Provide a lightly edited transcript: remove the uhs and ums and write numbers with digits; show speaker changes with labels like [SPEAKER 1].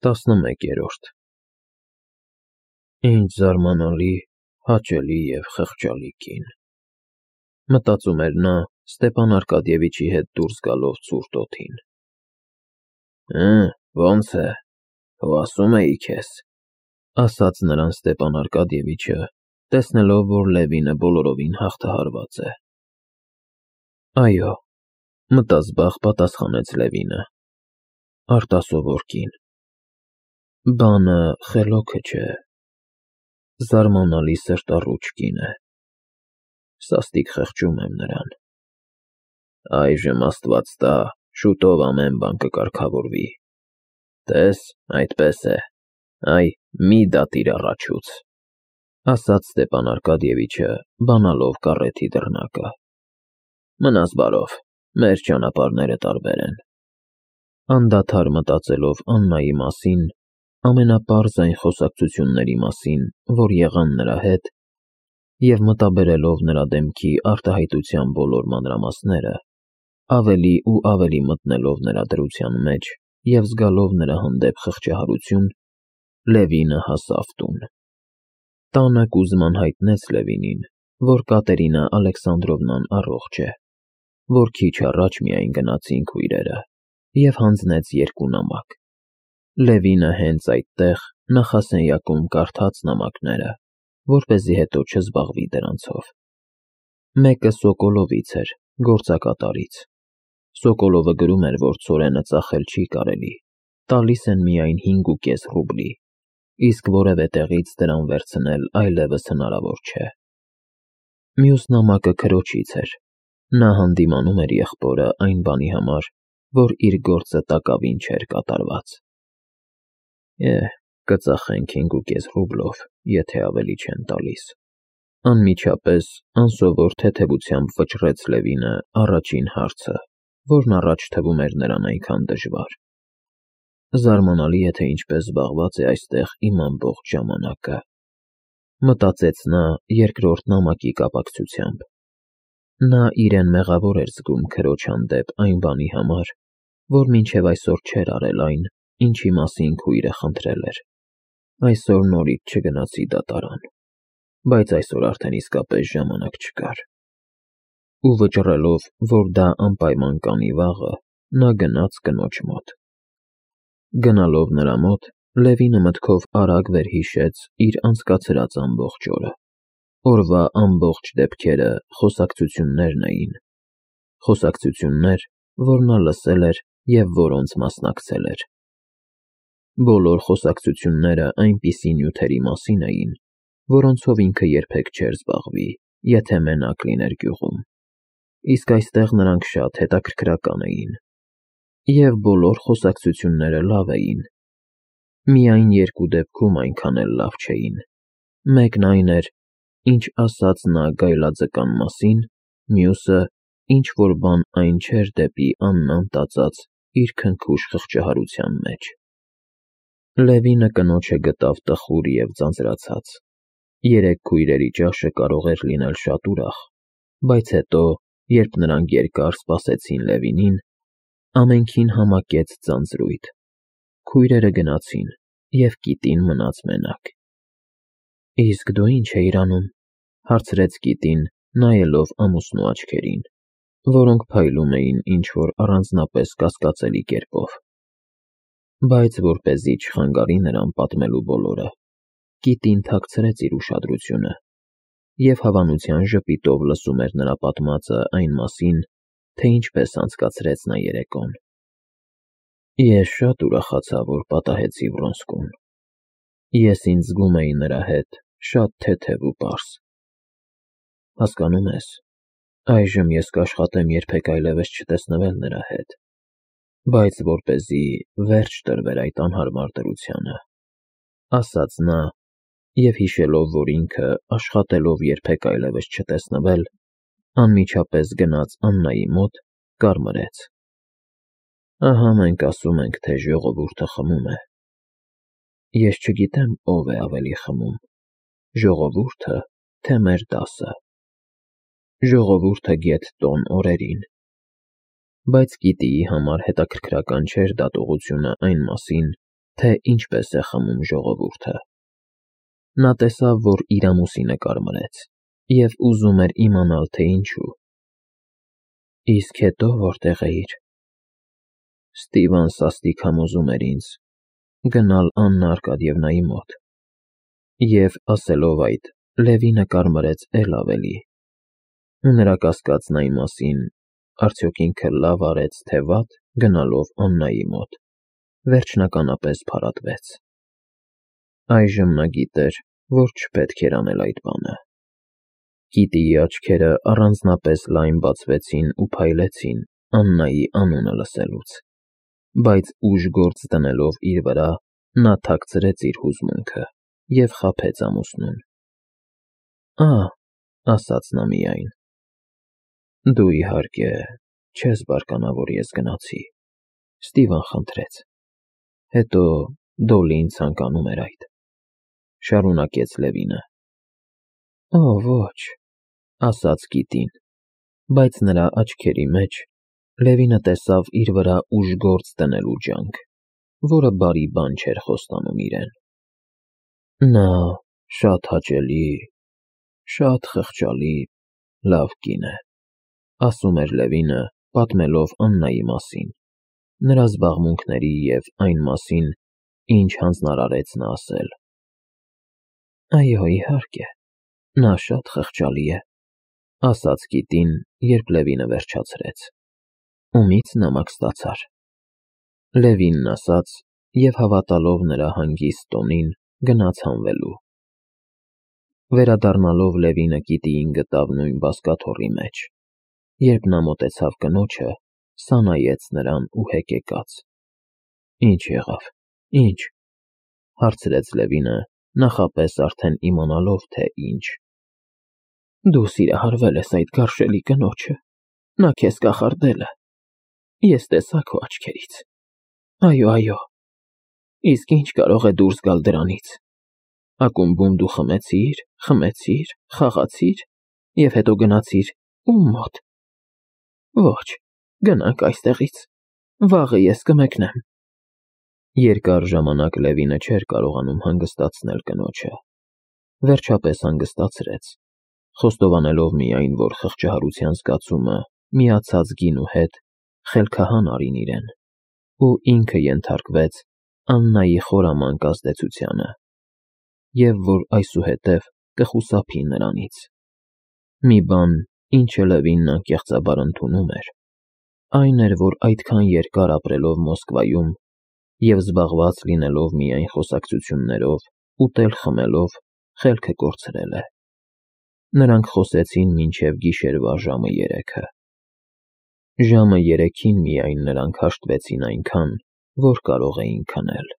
[SPEAKER 1] 11-րդ Ինչ զարմանալի, հաճելի և խղճալի կին, մտածում էր նա Ստեփան Արկադիևիչի հետ դուրս գալով ցուրտ օդին։ Ո՞նց է, հո ասում էի քեզ, ասաց նրան Ստեփան Արկադիևիչը, տեսնելով, որ Լևինը բոլորովին հաղթահարված է։ Այո, մտազբաղ պատասխանեց Լևինը, արտասովոր կին։ Բանը խելոքը չէ, զարմանալի սրտառուչ կին է, սաստիկ խղճում եմ նրան։ Այժմ Աստված տա, շուտով ամեն բան կկարգավորվի, տես, այդպես է, այ մի դատիր առաջուց, ասաց Ստեփան Արկադիևիչը, բանալով կառեթի դռնակը։ Մնաս բարով, մեր ճանապարհները տարբեր են։ Անդադար մտածելով Աննայի մասին, ամենապարզ այն խոսակցությունների մասին, որ եղան նրա հետ, և մտաբերելով նրա դեմքի արտահայտության բոլոր մանրամասները, ավելի ու ավելի մտնելով նրա դրության մեջ և զգալով նրա հանդեպ խղճահարություն, Լևինը հասավ տուն։ Տանը Կուզման հայտնեց Լևինին, որ Կատերինա Ալեքսանդրովնան առողջ է, որ քիչ առաջ միայն գնացին քույրերը, և հանձնեց 2 նամակ։ Լևինը հենց այդտեղ նախասենյակում կարդաց նամակները, որպեսզի հետո չզբաղվի դրանցով։ Մեկը Սոկոլովից էր, գործակատարից։ Սոկոլովը գրում էր, որ ցորենը ծախել չի կարելի, տալիս են միայն 5.5 ռուբլի, իսկ որևէ տեղից դրան վերցնել այլևս հնարավոր չէ։ Մյուս նամակը քրոջից էր։ Նա հանդիմանում էր եղբորը այն բանի համար, որ իր գործը տակավին չէր կատարված։ Կծախենք 5.5 ռուբլով, եթե ավելի չեն տալիս, անմիջապես անսովոր թեթևությամբ վճռեց Լևինը առաջին հարցը, որն առաջ թվում էր նրան այնքան դժվար։ Զարմանալի է, թե ինչպես զբաղված է այստեղ իմ ամբողջ ժամանակը, մտածեց նա երկրորդ նամակի կապակցությամբ։ Նա իրեն մեղավոր էր զգում քրոջ հանդեպ այն բանի համար, որ մինչև այսօր չէր արել այն, ինչի մասին քույրը խնդրել էր։ Այսօր նորից չգնացի դատարան, բայց այսօր արդեն իսկապես ժամանակ չկար։ Ու վճռելով, որ դա անպայման կանի վաղը, նա գնաց կնոջ մոտ։ Գնալով նրա մոտ, Լևինը մտքով արագ վերհիշեց իր անցկացրած ամբողջ օրը։ Օրվա ամբողջ դեպքերը խոսակցություններն էին, խոսակցություններ, որ նա լսել էր և որոնց մասնակցել էր։ Բոլոր խոսակցությունները այնպիսի նյութերի մասին էին, որոնցով ինքը երբեք չէր զբաղվի, եթե մենակ լիներ գյուղում, իսկ այստեղ նրանք շատ հետաքրքրական էին։ Եվ բոլոր խոսակցությունները լավ էին։ Միայն 2 դեպքում այնքան էլ լավ չէին։ Մեկն այն էր, ինչ ասաց նա գայլաձկան մասին, մյուսը, ինչ-որ բան այն չէր դեպի Աննան տածած իր քնքուշ խղճահարության մեջ։ Լևինը կնոջը գտավ տխուր և ձանձրացած։ 3 քույրերի ճաշը կարող էր լինել շատ ուրախ, բայց հետո, երբ նրանք երկար սպասեցին Լևինին, ամենքին համակեց ձանձրույթ։ Քույրերը գնացին, և կիտին մնաց մենակ։ Իսկ դու ի՞նչ էիր անում, հարցրեց կիտին, նայելով ամուսնու աչքերին, որոնք փայլում էին ինչ-որ առանձնապես կասկածելի կերպով։ Բայց որպեսզի չխանգարի նրան պատմելու բոլորը, կիտին թաքցրեց իր ուշադրությունը և հավանության ժպիտով լսում էր նրա պատմածը այն մասին, թե ինչպես անցկացրեց նա երեկոն։ Ես շատ ուրախացա, որ պատահեցի Վրոնսկուն։ Ես ինձ զգում էի նրա հետ շատ թեթև ու պարզ։ Հասկանում ես, այժմ ես կաշխատեմ երբեք այլևս չտեսնվել նրա հետ, բայց որպեսզի վերջ տրվեր այդ անհարմար դրությանը, ասաց նա, և հիշելով, որ ինքը, աշխատելով երբեք այլևս չտեսնվել, անմիջապես գնաց Աննայի մոտ, կարմրեց։ Ահա մենք ասում ենք, թե ժողովուրդը խմում է։ Ես չգիտեմ, ով է ավելի խմում, ժողովուրդը, թե մեր դասը։ Ժողովուրդը գեթ տոն օրերին։ Բայց գիտիի համար հետաքրքրական չէր դատողությունը այն մասին, թե ինչպես է խմում ժողովուրդը։ Նա տեսավ, որ իր ամուսինը կարմրեց, և ուզում էր իմանալ, թե ինչու։ Իսկ հետո որտեղ էիր։ Ստիվան սաստիկ համոզում էր ինձ գնալ Աննա Արկադիևնայի մոտ։ Եվ ասելով այդ, Լևինը կարմրեց էլ ավելի։ Ու նրա կասկածն այն մասին, արդյոք ինքը լավ արեց, թե վատ, գնալով Աննայի մոտ, վերջնականապես փարատվեց։ Այժմ նա գիտեր, որ չպետք էր անել այդ բանը։ Կիտիի աչքերը առանձնապես լայն բացվեցին ու փայլեցին Աննայի անունը լսելուց, բայց ուժ գործ դնելով իր վրա, նա թաքցրեց իր հուզմունքը և խաբեց ամուսնուն։ Ասաց նա միայն, դու իհարկե չես բարկանա, որ ես գնացի, Ստիվան խնդրեց, հետո Դոլլին ցանկանում էր այդ, շարունակեց Լևինը։ Ոչ, ասաց կիտին, բայց նրա աչքերի մեջ Լևինը տեսավ իր վրա ուժգործ դնելու ջանք, որը բարի բան չէր խոստանում իրեն։ Նա շատ հաճելի, շատ խղճալի, լավ կին է, ասում էր Լևինը, պատմելով Աննայի մասին, նրա զբաղմունքների և այն մասին, ինչ հանձնարարեց նա ասել։ Այո, իհարկե, նա շատ խղճալի է, ասաց կիտին, երբ Լևինը վերջացրեց։ Ումից նամակ ստացար։ Լևինն ասաց և հավատալով նրա հանգիստ տոնին, գնաց հանվելու։ Վերադառնալով Լևինը կիտիին գտավ նույն բազկաթոռի մեջ։ Երբ նա մոտեցավ կնոջը, սա նայեց նրան ու հեկեկաց։ Ինչ եղավ, ինչ, հարցրեց Լևինը, նախապես արդեն իմանալով, թե ինչ։ Դու սիրահարվել ես այդ գարշելի կնոջը, նա քեզ կախարդել է, ես տեսա քո աչքերից։ Այո, իսկ ինչ կարող է դուրս գալ դրանից։ Ակումբում դու խմեցիր, խաղացիր և հետո գնացիր ում մոտ։ Ոչ, գնանք այստեղից, վաղը ես կմեկնեմ։ Երկար ժամանակ Լևինը չէր կարողանում հանգստացնել կնոջը։ Վերջապես հանգստացրեց, խոստովանելով միայն, որ խղճահարության զգացումը միացած գինու հետ խելքահան արին իրեն, ու ինքը ենթարկվեց Աննայի խորամանկ ազդեցությանը, և որ այսուհետև կխուսափի նրանից։ Մի բան, ինչը Լևինն անկեղծաբար ընդունում էր, այն էր, որ այդքան երկար ապրելով Մոսկվայում և զբաղված լինելով միայն խոսակցություններով, ուտել-խմելով, խելքը կորցրել է։ Նրանք խոսեցին մինչև գիշերվա ժամը 3-ը։ Ժամը 3-ին միայն նրանք հաշտվեցին այնքան, որ կարող էին քնել։